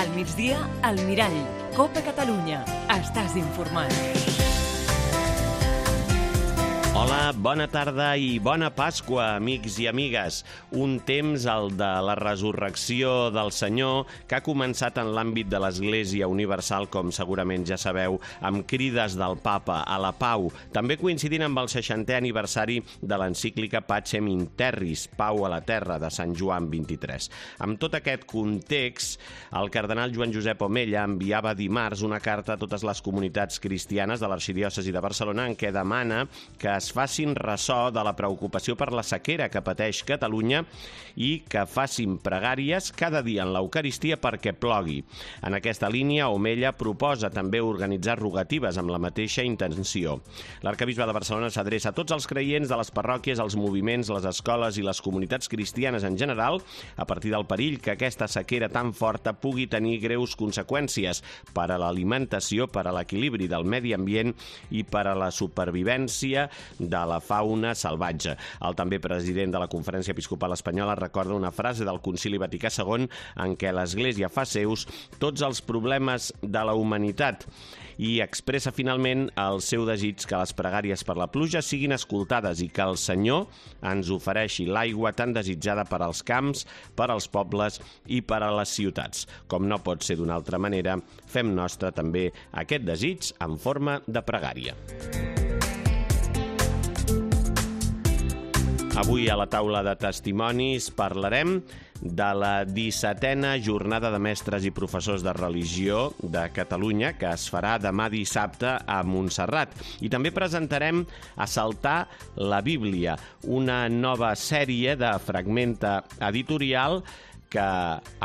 Al migdia, al Mirall. Copa Catalunya. Estàs informat. Hola, bona tarda i bona Pasqua, amics i amigues. Un temps, el de la resurrecció del Senyor, que ha començat en l'àmbit de l'Església Universal, com segurament ja sabeu, amb crides del Papa a la pau, també coincidint amb el 60è aniversari de l'encíclica Pacem in Terris, Pau a la Terra, de Sant Joan 23. Amb tot aquest context, el cardenal Joan Josep Omella enviava dimarts una carta a totes les comunitats cristianes de l'Arxidiòcesi de Barcelona en què demana que es facin ressò de la preocupació per la sequera que pateix Catalunya i que facin pregàries cada dia en l'Eucaristia perquè plogui. En aquesta línia, Omella proposa també organitzar rogatives amb la mateixa intenció. L'Arquebisbe de Barcelona s'adreça a tots els creients de les parròquies, els moviments, les escoles i les comunitats cristianes en general, a partir del perill que aquesta sequera tan forta pugui tenir greus conseqüències per a l'alimentació, per a l'equilibri del medi ambient i per a la supervivència de la fauna salvatge. El també president de la Conferència Episcopal Espanyola recorda una frase del Concili Vaticà II en què l'Església fa seus tots els problemes de la humanitat i expressa finalment el seu desig que les pregàries per la pluja siguin escoltades i que el Senyor ens ofereixi l'aigua tan desitjada per als camps, per als pobles i per a les ciutats. Com no pot ser d'una altra manera, fem nostre també aquest desig en forma de pregària. Avui a la taula de testimonis parlarem de la 17a Jornada de Mestres i Professors de Religió de Catalunya, que es farà demà dissabte a Montserrat. I també presentarem Assaltar la Bíblia, una nova sèrie de Fragmenta Editorial que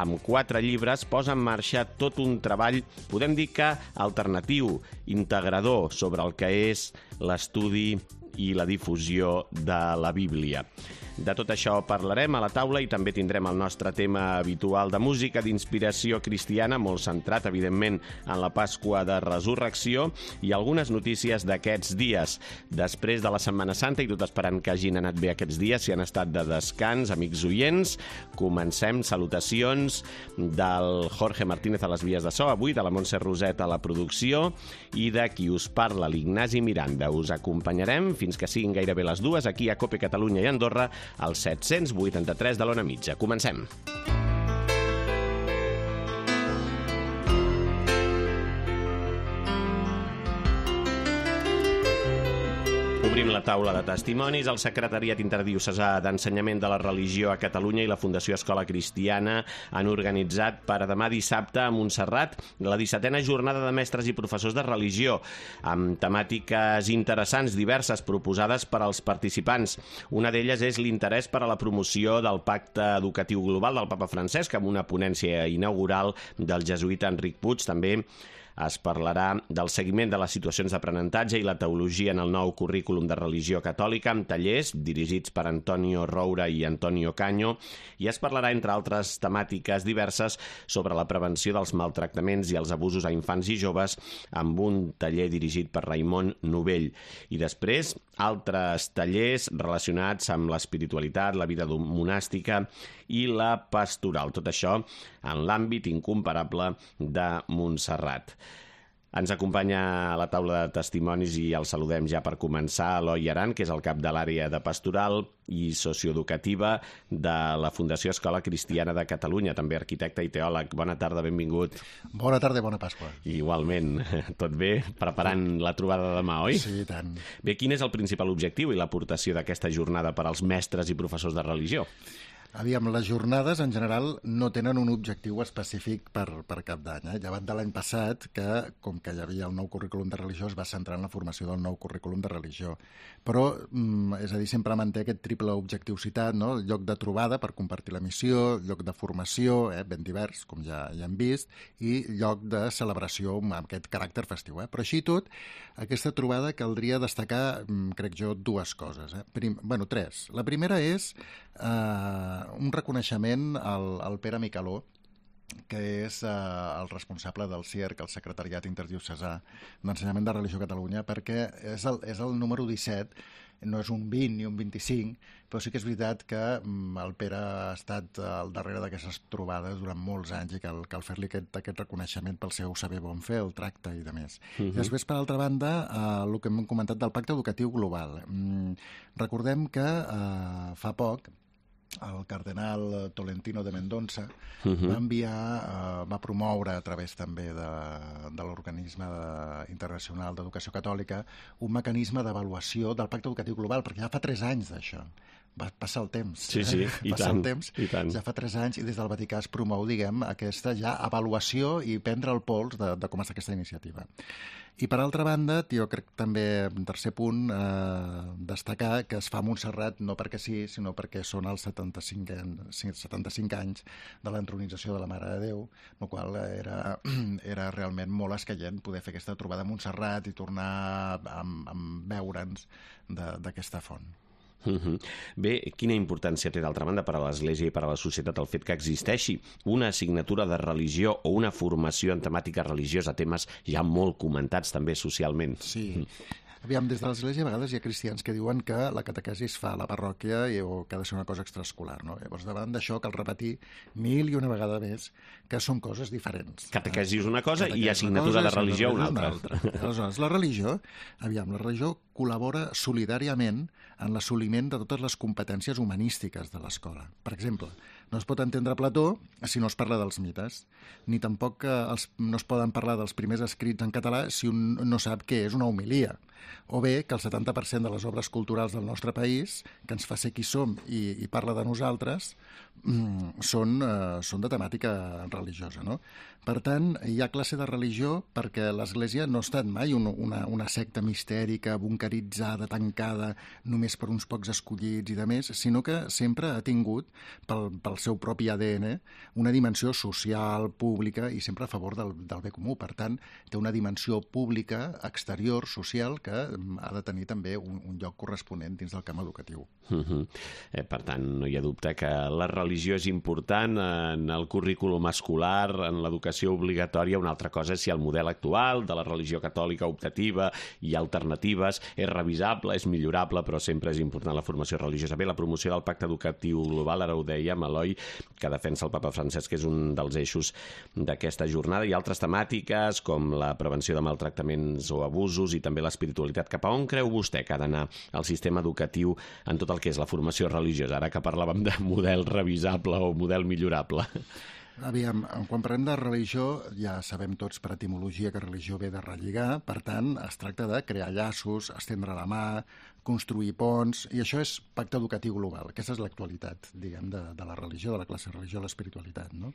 amb 4 llibres posa en marxa tot un treball, podem dir que alternatiu, integrador, sobre el que és l'estudi i la difusió de la Bíblia. De tot això parlarem a la taula i també tindrem el nostre tema habitual de música d'inspiració cristiana, molt centrat, evidentment, en la Pasqua de Resurrecció i algunes notícies d'aquests dies. Després de la Setmana Santa, i tot esperant que hagin anat bé aquests dies, si han estat de descans, amics oients, comencem. Salutacions del Jorge Martínez a les vies de so, avui de la Montse Roset a la producció i de qui us parla, l'Ignasi Miranda. Us acompanyarem fins que siguin gairebé les 2 aquí a Cope Catalunya i Andorra, al 783 de l'Ona Mitja. Comencem. Obrim la taula de testimonis. El Secretariat Interdiocesà d'Ensenyament de la Religió a Catalunya i la Fundació Escola Cristiana han organitzat per a demà dissabte a Montserrat la 17a Jornada de Mestres i Professors de Religió, amb temàtiques interessants, diverses, proposades per als participants. Una d'elles és l'interès per a la promoció del Pacte Educatiu Global del Papa Francesc, amb una ponència inaugural del jesuïta Enric Puig. També es parlarà del seguiment de les situacions d'aprenentatge i la teologia en el nou currículum de religió catòlica, amb tallers dirigits per Antonio Roura i Antonio Caño, i es parlarà, entre altres temàtiques diverses, sobre la prevenció dels maltractaments i els abusos a infants i joves, amb un taller dirigit per Raimon Novell. I després, altres tallers relacionats amb l'espiritualitat, la vida monàstica i la pastoral. Tot això en l'àmbit incomparable de Montserrat. Ens acompanya a la taula de testimonis i el saludem ja per començar Eloi Aran, que és el cap de l'àrea de pastoral i socioeducativa de la Fundació Escola Cristiana de Catalunya, també arquitecte i teòleg. Bona tarda, benvingut. Bona tarda i bona Pasqua. Igualment, tot bé? Preparant la trobada de demà, oi? Sí, tant. Bé, quin és el principal objectiu i l'aportació d'aquesta jornada per als mestres i professors de religió? Aviam, les jornades en general no tenen un objectiu específic per cap d'any. Llevat de l'any passat, que com que hi havia el nou currículum de religió, es va centrar en la formació del nou currículum de religió. Però, és a dir, sempre manté aquest triple objectiu citat, no? Lloc de trobada per compartir la missió, lloc de formació, ben divers, com ja hem vist, i lloc de celebració amb aquest caràcter festiu. Però així i tot, aquesta trobada caldria destacar, crec jo, 2 coses. Tres. La primera és un reconeixement al Pere Micaló, que és el responsable del CIERC, el Secretariat Interdiocesà d'Ensenyament de Religió a Catalunya, perquè és el número 17 no és un 20 ni un 25, però sí que és veritat que el Pere ha estat al darrere d'aquestes trobades durant molts anys i cal fer-li aquest reconeixement pel seu saber bon fer, el tracte i de més. I després, per altra banda, el que hem comentat del Pacte Educatiu Global. Recordem que fa poc el cardenal Tolentino de Mendonça va promoure a través també de l'Organisme Internacional d'Educació Catòlica un mecanisme d'avaluació del Pacte Educatiu Global, perquè ja fa 3 anys d'això. Va passar el temps. Sí, i tant. Ja fa 3 anys i des del Vaticà es promou, aquesta ja avaluació i prendre el pols de com està aquesta iniciativa. I per altra banda, jo crec també, en tercer punt, destacar que es fa a Montserrat no perquè sí, sinó perquè són els 75 anys de l'entronització de la Mare de Déu, el qual era realment molt escaient poder fer aquesta trobada a Montserrat i tornar a veure'ns d'aquesta font. Bé, quina importància té d'altra banda per a l'Església i per a la societat el fet que existeixi una assignatura de religió o una formació en temàtica religiosa, temes ja molt comentats també socialment? Sí. Aviam, des de l'Església a vegades hi ha cristians que diuen que la catequesi es fa a la parròquia o que ha de ser una cosa extraescolar, no? Llavors, davant d'això cal repetir 1000 i una vegada més que són coses diferents. Catequesi és una cosa i assignatura de religió una altra. Aleshores, la religió col·labora solidàriament en l'assoliment de totes les competències humanístiques de l'escola. Per exemple, no es pot entendre Plató si no es parla dels mites, ni tampoc no es poden parlar dels primers escrits en català si un no sap què és una homilia, o bé que el 70% de les obres culturals del nostre país, que ens fa ser qui som i parla de nosaltres, són de temàtica religiosa, no? Per tant, hi ha classe de religió perquè l'Església no ha estat mai una secta mistèrica, bunkeritzada, tancada, només per uns pocs escollits i de més, sinó que sempre ha tingut, pel seu propi ADN, una dimensió social, pública i sempre a favor del bé comú. Per tant, té una dimensió pública, exterior, social, que ha de tenir també un lloc corresponent dins del camp educatiu. Per tant, no hi ha dubte que la religió és important en el currículum escolar, en l'educació obligatòria. Una altra cosa és si el model actual de la religió catòlica optativa i alternatives és revisable, és millorable, però sempre és important la formació religiosa. Bé, la promoció del Pacte Educatiu Global, ara ho dèiem, Eloi, que defensa el papa Francesc, que és un dels eixos d'aquesta jornada, i altres temàtiques com la prevenció de maltractaments o abusos i també l'espiritualitat. Cap a on creu vostè que ha d'anar el sistema educatiu en tot el que és la formació religiosa, ara que parlàvem de model revisable o model millorable? Aviam, quan parlem de religió, ja sabem tots per etimologia que religió ve de relligar, per tant, es tracta de crear llaços, estendre la mà, construir ponts, i això és pacte educatiu global. Aquesta és l'actualitat, diguem, de la religió, de la classe de religió, l'espiritualitat, no?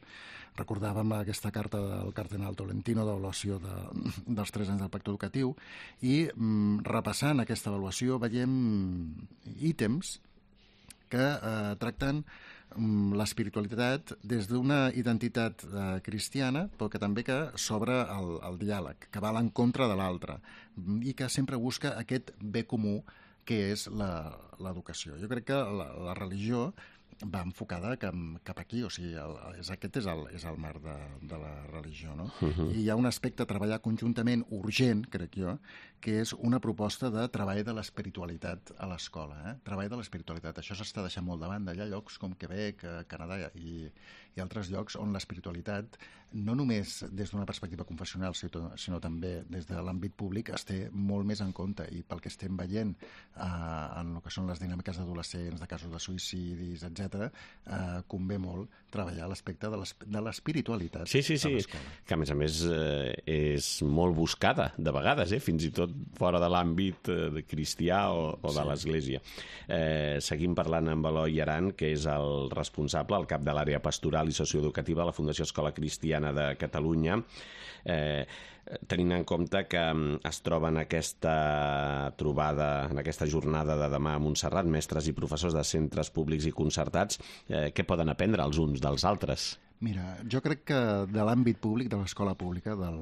Recordàvem aquesta carta del cardenal Tolentino d'avaluació dels 3 anys del pacte educatiu i repassant aquesta avaluació veiem ítems que tracten l'espiritualitat des d'una identitat cristiana, però que també que s'obre el diàleg, que va a l'encontre de l'altre i que sempre busca aquest bé comú que és l'educació. Jo crec que la religió va enfocada cap aquí, o sigui, aquest és el marc de la religió, no? I hi ha un aspecte a treballar conjuntament urgent, crec jo, que és una proposta de treball de l'espiritualitat a l'escola. Treball de l'espiritualitat. Això s'està deixant molt de banda. Hi ha llocs com Quebec, Canadà i altres llocs on l'espiritualitat, no només des d'una perspectiva confessional, sinó també des de l'àmbit públic, es té molt més en compte. I pel que estem veient en el que són les dinàmiques d'adolescents, de casos de suïcidis, etc., convé molt treballar l'aspecte de l'espiritualitat a l'escola. Que a més és molt buscada, de vegades, fins i tot fora de l'àmbit cristià o de l'Església. Seguim parlant amb Eloi Aran, que és el responsable, el cap de l'àrea pastoral i socioeducativa de la Fundació Escola Cristiana de Catalunya, tenint en compte que es troba en aquesta trobada, en aquesta jornada de demà a Montserrat, mestres i professors de centres públics i concertats, què poden aprendre els uns dels altres? Mira, jo crec que de l'àmbit públic, de l'escola pública, del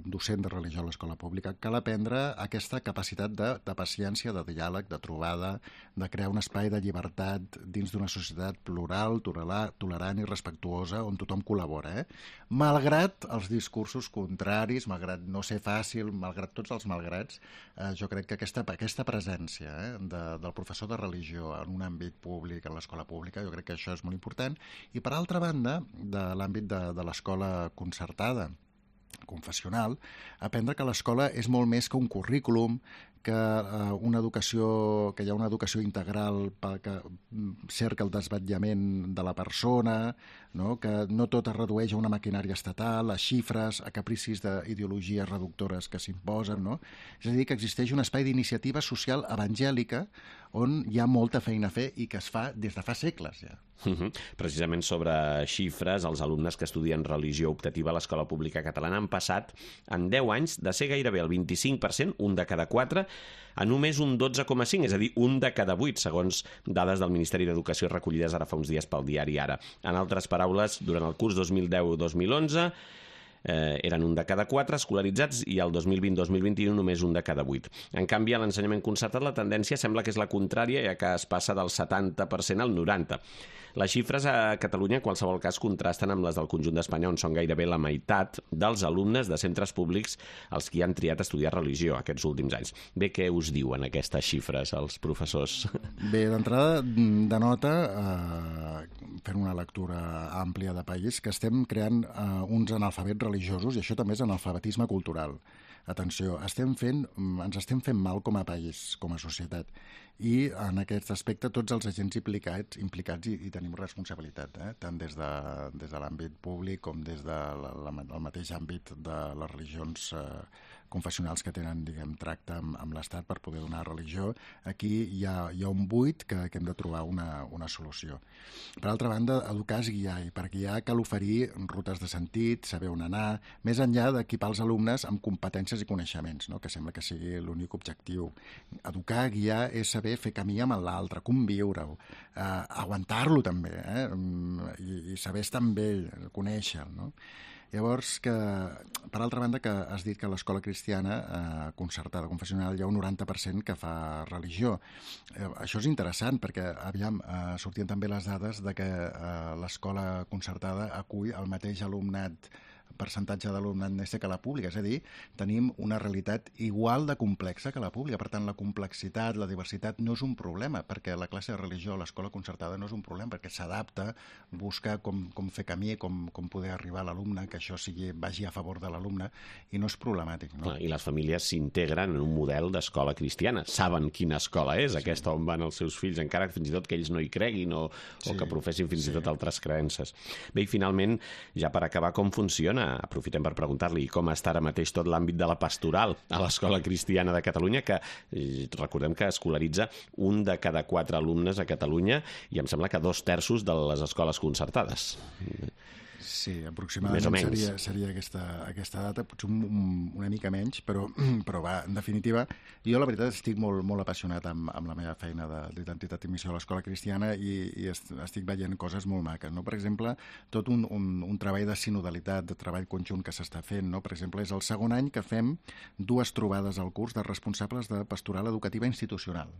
docent de religió a l'escola pública, cal aprendre aquesta capacitat de paciència, de diàleg, de trobada, de crear un espai de llibertat dins d'una societat plural, tolerant i respectuosa, on tothom col·labora, Malgrat els discursos contraris, malgrat no ser fàcil, malgrat tots els malgrats, jo crec que aquesta presència del professor de religió en un àmbit públic, en l'escola pública, jo crec que això és molt important. I per altra banda, de l'àmbit de l'escola concertada, confessional, aprendre que l'escola és molt més que un currículum, que que hi ha una educació integral que cerca el desvetllament de la persona, no? Que no tot es redueix a una maquinària estatal, a xifres, a capricis d'ideologies reductores que s'imposen, no? És a dir, que existeix un espai d'iniciativa social evangèlica on hi ha molta feina a fer i que es fa des de fa segles, ja. Precisament sobre xifres, els alumnes que estudien religió optativa a l'escola pública catalana han passat en 10 anys de ser gairebé el 25%, un de cada 4, a només un 12,5, és a dir, un de cada 8, segons dades del Ministeri d'Educació recollides ara fa uns dies pel diari Ara. En altres paraules, durant el curs 2010-2011 eren un de cada 4 escolaritzats i el 2020-2021 només un de cada 8. En canvi, a l'ensenyament concertat la tendència sembla que és la contrària, ja que es passa del 70% al 90%. Les xifres a Catalunya, en qualsevol cas, contrasten amb les del conjunt d'Espanya, on són gairebé la meitat dels alumnes de centres públics els que han triat estudiar religió aquests últims anys. Bé, què us diuen aquestes xifres els professors? Bé, d'entrada denota, fent una lectura àmplia de país, que estem creant uns analfabets religiosos, i això també és analfabetisme cultural. Atenció, ens estem fent mal com a país, com a societat. I en aquest aspecte tots els agents implicats hi tenim responsabilitat, tant des de l'àmbit públic com des del mateix àmbit de les religions confessionals que tenen, diguem, tracte amb l'Estat per poder donar religió. Aquí hi ha un buit que hem de trobar una solució. Per altra banda, educar és guiar, i per guiar cal oferir rutes de sentit, saber on anar, més enllà d'equipar els alumnes amb competències i coneixements, no? Que sembla que sigui l'únic objectiu. Educar, guiar, és saber fer camí amb l'altre, conviure-ho, aguantar-lo també, i saber estar amb ell, conèixer-lo, no? Llavors, per altra banda, que has dit que a l'escola cristiana concertada, confessional, hi ha un 90% que fa religió. Això és interessant perquè, sortien també les dades de que l'escola concertada acull el mateix percentatge d'alumnat nese que la pública, és a dir, tenim una realitat igual de complexa que la pública. Per tant, la complexitat, la diversitat no és un problema, perquè la classe de religió a l'escola concertada no és un problema, perquè s'adapta, busca com fer camí, com poder arribar a l'alumne, que això vagi a favor de l'alumne, i no és problemàtic. No? I les famílies s'integren en un model d'escola cristiana. Saben quina escola és aquesta on van els seus fills, encara fins i tot que ells no hi creguin o que professin fins i tot altres creences. Bé, i finalment, ja per acabar, com funciona? Aprofitem per preguntar-li com està ara mateix tot l'àmbit de la pastoral a l'Escola Cristiana de Catalunya, que recordem que escolaritza un de cada 4 alumnes a Catalunya, i em sembla que 2/3 de les escoles concertades. Sí, aproximadament seria aquesta data, potser una mica menys, però va, en definitiva, jo la veritat estic molt apassionat amb la meva feina d'identitat i missió a l'Escola Cristiana, i estic veient coses molt maques, no? Per exemple, tot un treball de sinodalitat, de treball conjunt que s'està fent, no? Per exemple, és el segon any que fem 2 trobades al curs de responsables de pastoral educativa institucional.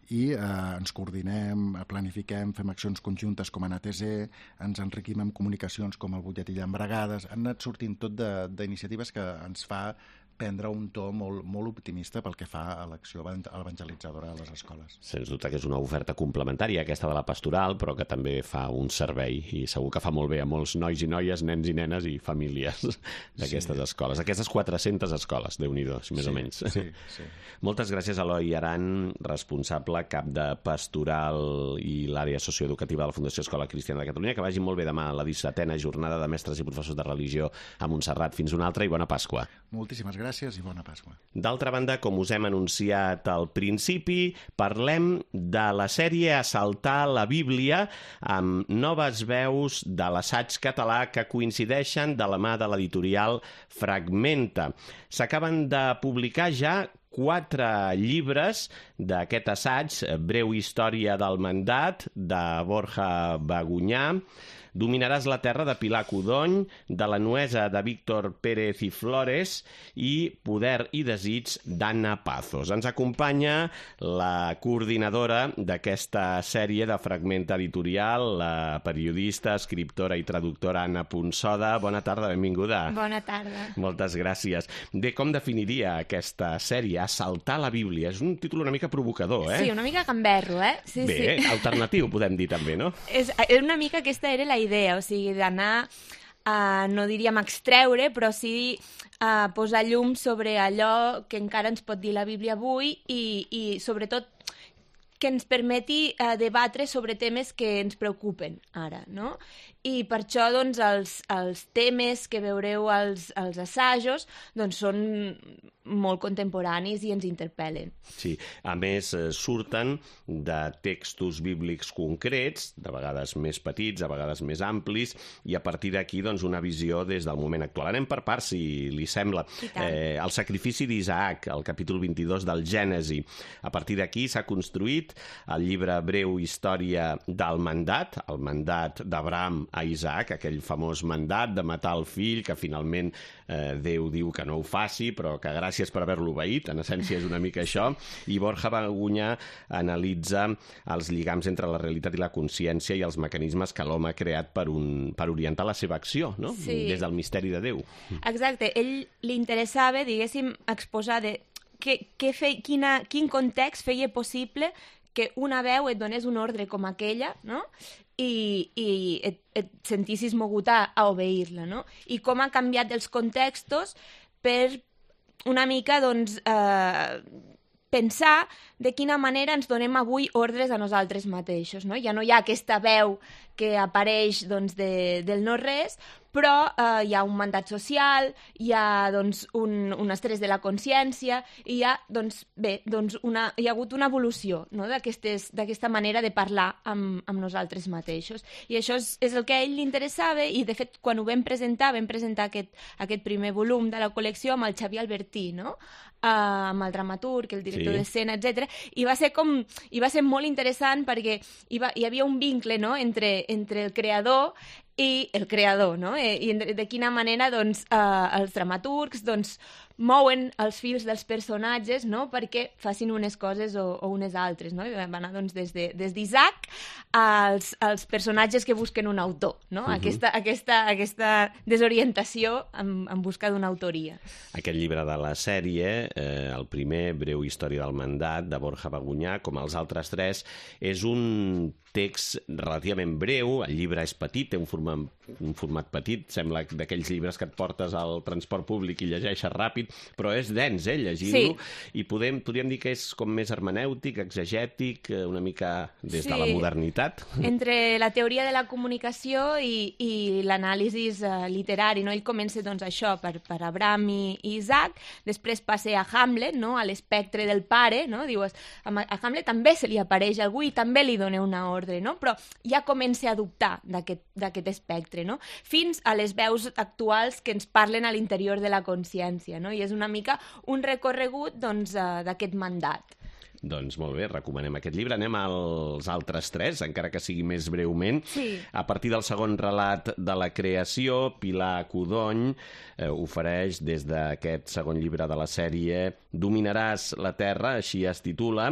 I ens coordinem, planifiquem, fem accions conjuntes com en ATC, ens enriquim amb comunicacions com el butlletí d'Embragades, han anat sortint tot d'iniciatives que ens fa prendre un to molt optimista pel que fa a l'acció evangelitzadora a les escoles. Sens dubte que és una oferta complementària, aquesta de la pastoral, però que també fa un servei, i segur que fa molt bé a molts nois i noies, nens i nenes i famílies d'aquestes escoles. Aquestes 400 escoles, Déu-n'hi-do, més o menys. Sí. Moltes gràcies a Eloi Aran, responsable cap de pastoral i l'àrea socioeducativa de la Fundació Escola Cristiana de Catalunya. Que vagi molt bé demà a la 17a jornada de mestres i professors de religió a Montserrat. Fins una altra i bona Pasqua. Moltíssimes gràcies i bona Pasqua. D'altra banda, com us hem anunciat al principi, parlem de la sèrie Assaltar la Bíblia, amb noves veus de l'assaig català que coincideixen de la mà de l'editorial Fragmenta. S'acaben de publicar ja 4 llibres d'aquest assaig, Breu història del mandat, de Borja Bagunyà, Dominaràs la terra, de Pilar Codony, de La nuesa, de Víctor Pérez i Flores, i Poder i desig, d'Anna Pazos. Ens acompanya la coordinadora d'aquesta sèrie de Fragment Editorial, la periodista, escriptora i traductora Anna Punsoda. Bona tarda, benvinguda. Bona tarda. Moltes gràcies. Bé, com definiria aquesta sèrie? Assaltar la Bíblia. És un títol una mica provocador, Sí, una mica gamberro, Sí, Bé, sí. Alternatiu, podem dir també, no? És una mica aquesta era la idea, o sigui, d'anar, no diríem extreure, però sí posar llum sobre allò que encara ens pot dir la Bíblia avui i sobretot, que ens permeti debatre sobre temes que ens preocupen ara, no? I per això, doncs, els temes que veureu als assajos, doncs, són molt contemporanis i ens interpel·len. Sí, a més surten de textos bíblics concrets, de vegades més petits, a vegades més amplis, i a partir d'aquí, doncs, una visió des del moment actual. Anem per parts, si li sembla. El sacrifici d'Isaac, el capítol 22 del Gènesi. A partir d'aquí s'ha construït el llibre Breu història del mandat, el mandat d'Abraham a Isaac, aquell famós mandat de matar el fill, que finalment Déu diu que no ho faci, però que gràcies per haver-lo obeït, en essència és una mica això, i Borja Bagunyà analitza els lligams entre la realitat i la consciència i els mecanismes que l'home ha creat per orientar la seva acció, no? Sí. Des del misteri de Déu. Exacte, ell li interessava, diguéssim, exposar quin context feia possible que una veu et donés un ordre com aquella, no? I et sentissis mogut a obeir-la, no? I com ha canviat els contextos per una mica, doncs, pensar de quina manera ens donem avui ordres a nosaltres mateixos, no? Ja no hi ha aquesta veu que apareix, doncs, del no-res, però hi ha un mandat social, hi ha, doncs, un estrès de la consciència, i hi ha, doncs, hi ha hagut una evolució, no?, d'aquesta manera de parlar amb nosaltres mateixos. I això és el que a ell li interessava, i de fet, quan ho vam presentar aquest primer volum de la col·lecció amb el Xavier Albertí, no?, amb el dramaturg, el director d'escena, etc. I va ser molt interessant perquè hi havia un vincle, no?, entre el creador i el creador, no? I de quina manera, doncs, els dramaturgs, doncs, mouen els fils dels personatges, no?, perquè facin unes coses o unes altres, no? I vam anar, doncs, des d'Isaac als personatges que busquen un autor, no? Aquesta desorientació en busca d'una autoria. Aquest llibre de la sèrie, el primer, Breu història del mandat, de Borja Bagunyà, com els altres 3, és un text relativament breu, el llibre és petit, té un format petit, sembla d'aquells llibres que et portes al transport públic i llegeixes ràpid, però és dens, llegint-lo, i podríem dir que és com més hermenèutic, exegètic, una mica des de la modernitat. Entre la teoria de la comunicació i l'anàlisi literari, no? Ell comença, doncs, això, per Abraham i Isaac, després passa a Hamlet, no?, a l'espectre del pare, no? Dius, a Hamlet també se li apareix algú i també li dona una ordre, no? Però ja comença a dubtar d'aquest espectre, no? Fins a les veus actuals que ens parlen a l'interior de la consciència, no? I és una mica un recorregut, doncs, d'aquest mandat. Doncs molt bé, recomanem aquest llibre. Anem als altres 3, encara que sigui més breument. Sí. A partir del segon relat de la creació, Pilar Codony ofereix des d'aquest segon llibre de la sèrie Dominaràs la terra, així es titula,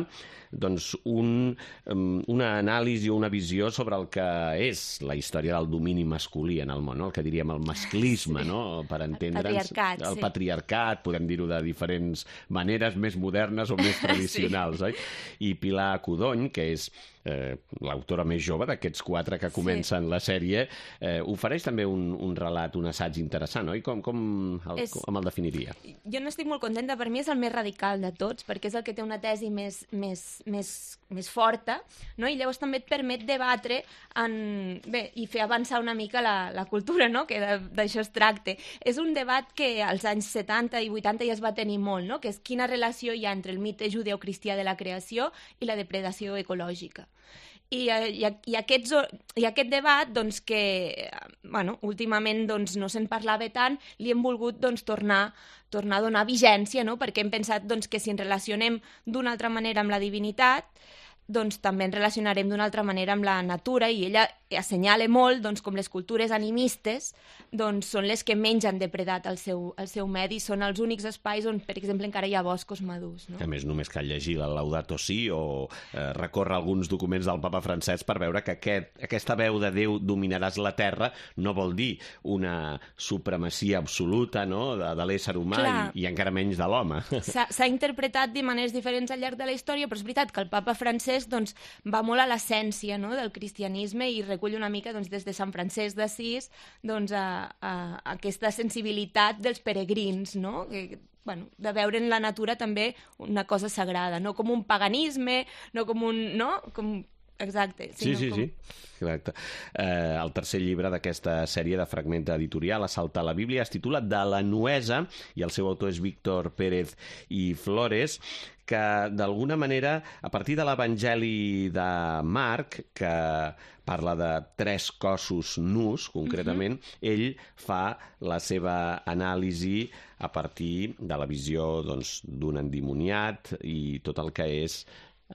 doncs una anàlisi o una visió sobre el que és la història del domini masculí en el món, no? El que diríem el masclisme, no? Per entendre'ns. El patriarcat, podem dir-ho de diferents maneres, més modernes o més tradicionals, oi? I Pilar Codony, que és l'autora més jove d'aquests 4 que comencen la sèrie, ofereix també un relat, un assaig interessant, oi? Com el definiria? Jo n'estic molt contenta, per mi és el més radical de tots, perquè és el que té una tesi més forta, no? I llavors també et permet debatre i fer avançar una mica la cultura, no?, que d'això es tracta. És un debat que als anys 70 i 80 ja es va tenir molt, no?, que és quina relació hi ha entre el mite judeocristià de la creació i la depredació ecològica. aquest debat, doncs, que últimament doncs, no se'n parlava tant, li hem volgut doncs, tornar a donar vigència, no? Perquè hem pensat doncs, que si ens relacionem d'una altra manera amb la divinitat, doncs també ens relacionarem d'una altra manera amb la natura, i ella assenyala molt doncs, com les cultures animistes doncs, són les que menys han depredat el seu medi, són els únics espais on, per exemple, encara hi ha boscos madurs. No? A més, només cal llegir la Laudato Si o recórrer alguns documents del papa Francesc per veure que aquesta veu de Déu dominaràs la terra no vol dir una supremacia absoluta, no?, de l'ésser humà i encara menys de l'home. S'ha interpretat de maneres diferents al llarg de la història, però és veritat que el papa Francesc doncs, va molt a l'essència, no?, del cristianisme i recull una mica doncs, des de Sant Francesc d'Assís doncs, a aquesta sensibilitat dels peregrins, no?, de veure en la natura també una cosa sagrada, no com un paganisme, no com un... No? Exacte. Sí. Exacte. El tercer llibre d'aquesta sèrie de fragment editorial, Assaltar la Bíblia, es titula De la Nuesa, i el seu autor és Víctor Pérez i Flores, que d'alguna manera, a partir de l'Evangeli de Marc, que parla de 3 cossos nus, concretament, ell fa la seva anàlisi a partir de la visió d'un endimoniat i tot el que és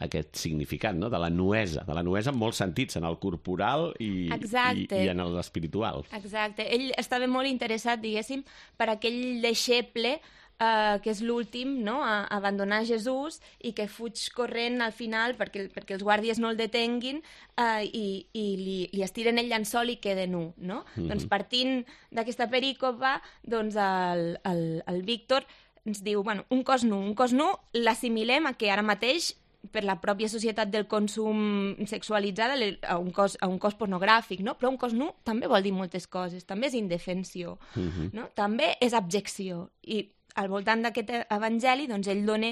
aquest significat, no?, de la nuesa en molts sentits, en el corporal i en l'espiritual. Exacte. Ell estava molt interessat, diguéssim, per aquell deixeble que és l'últim, no?, a abandonar Jesús i que fuig corrent al final perquè els guàrdies no el detenguin i li estiren el llençol i queda nu, no? Doncs partint d'aquesta perícopa, doncs el Víctor ens diu, un cos nu l'assimilem a que ara mateix per la pròpia societat del consum sexualitzada a un cos pornogràfic, no? Però un cos nu també vol dir moltes coses, també és indefensió, no? També és abjecció, i al voltant d'aquest evangeli doncs ell dona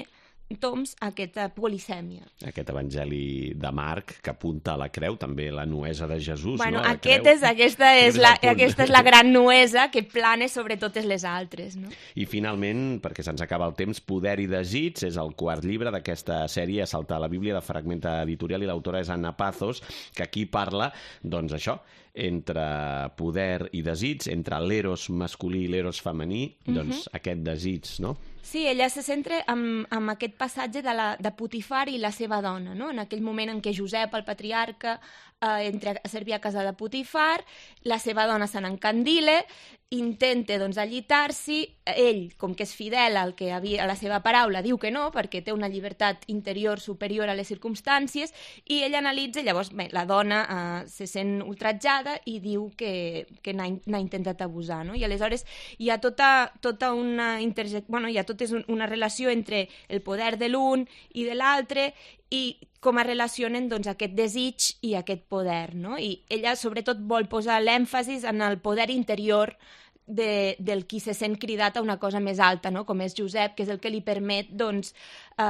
toms a aquesta polisèmia. Aquest evangeli de Marc que apunta a la creu, també la nuesa de Jesús, no? Aquesta és la gran nuesa que plana sobre totes les altres, no? I finalment, perquè se'ns acaba el temps, Poder i desig és el 4è llibre d'aquesta sèrie, Assaltar la Bíblia, de Fragment Editorial, i l'autora és Anna Pazos, que aquí parla, doncs això, entre poder i desig, entre l'eros masculí i l'eros femení, doncs aquest desig, no? Sí, ella se centra en aquest passatge de Potifar i la seva dona, no? En aquell moment en què Josep, el patriarca, entra a servir a casa de Potifar, la seva dona se n'encandila, intenta doncs, allitar-s'hi, ell, com que és fidel a la seva paraula, diu que no, perquè té una llibertat interior superior a les circumstàncies, i ell analitza, llavors la dona se sent ultratjada i diu que n'ha intentat abusar, no? I aleshores hi ha tota una una relació entre el poder de l'un i de l'altre, i com es relacionen doncs, aquest desig i aquest poder, no? I ella sobretot vol posar l'èmfasis en el poder interior del qui se sent cridat a una cosa més alta, no? Com és Josep, que és el que li permet doncs,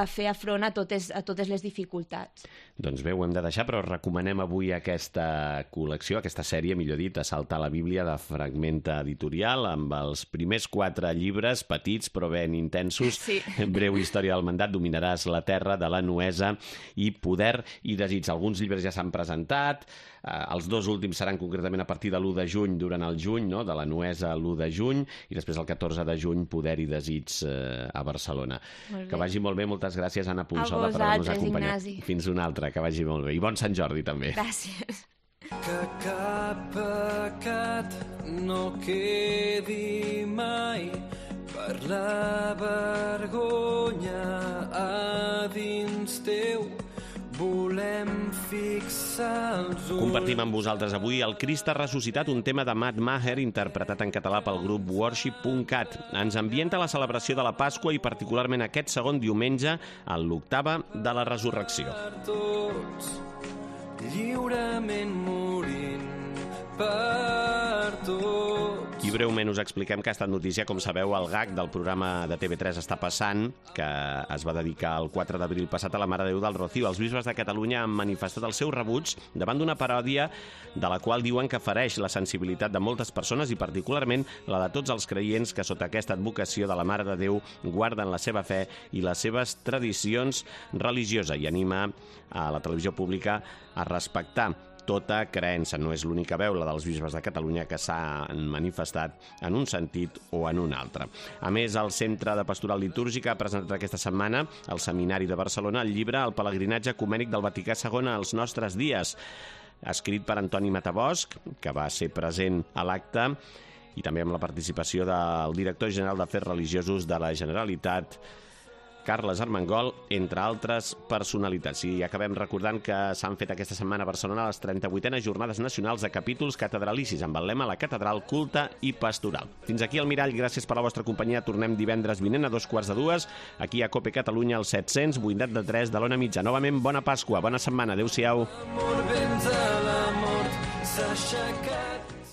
fer front a totes les dificultats. Doncs bé, ho hem de deixar, però recomanem avui aquesta col·lecció, aquesta sèrie, millor dit, Assaltar la Bíblia, de Fragment Editorial, amb els primers 4 llibres, petits però ben intensos, sí. Breu història del mandat, Dominaràs la terra, de la Nuesa, i Poder i desig. Alguns llibres ja s'han presentat, els 2 últims seran concretament a partir de l'1 de juny, durant el juny, no? De la Nuesa l'1 de juny, i després el 14 de juny, Poder i desig a Barcelona. Que vagi molt bé, moltes gràcies, Anna Punsola, per haver-nos acompanyat. Ignasi. Fins una altra, que vagi molt bé. I bon Sant Jordi, també. Gràcies. Que cap pecat no quedi mai per la vergonya a dins teu. Volem fixar els ulls... Compartim amb vosaltres avui el Crist ha ressuscitat, un tema de Matt Maher interpretat en català pel grup Worship.cat. Ens ambienta la celebració de la Pasqua i particularment aquest segon diumenge en l'octava de la Resurrecció. Tots, lliurement morint per tots. I breument us expliquem que ha estat notícia, com sabeu, el gag del programa de TV3 Està passant, que es va dedicar el 4 d'abril passat a la Mare de Déu del Rocío. Els bisbes de Catalunya han manifestat el seu rebuig davant d'una paròdia de la qual diuen que fereix la sensibilitat de moltes persones i particularment la de tots els creients que sota aquesta advocació de la Mare de Déu guarden la seva fe i les seves tradicions religioses i anima a la televisió pública a respectar tota creença. No és l'única veu, la dels bisbes de Catalunya, que s'han manifestat en un sentit o en un altre. A més, el Centre de Pastoral Litúrgica ha presentat aquesta setmana al Seminari de Barcelona el llibre El pelegrinatge ecumènic del Vaticà II als nostres dies, escrit per Antoni Matabosch, que va ser present a l'acte, i també amb la participació del director general d'Afers Religiosos de la Generalitat, Carles Armengol, entre altres personalitats. I acabem recordant que s'han fet aquesta setmana a Barcelona les 38enes Jornades Nacionals de Capítols Catedralicis, amb el lema La Catedral Culta i Pastoral. Fins aquí el Mirall, gràcies per la vostra companyia. Tornem divendres vinent a 2:45, aquí a Cope Catalunya, al 700, 8:3 de l'Ona Mitja. Novament, bona Pasqua, bona setmana, adéu-siau. L'amor vens a la mort s'ha aixecat.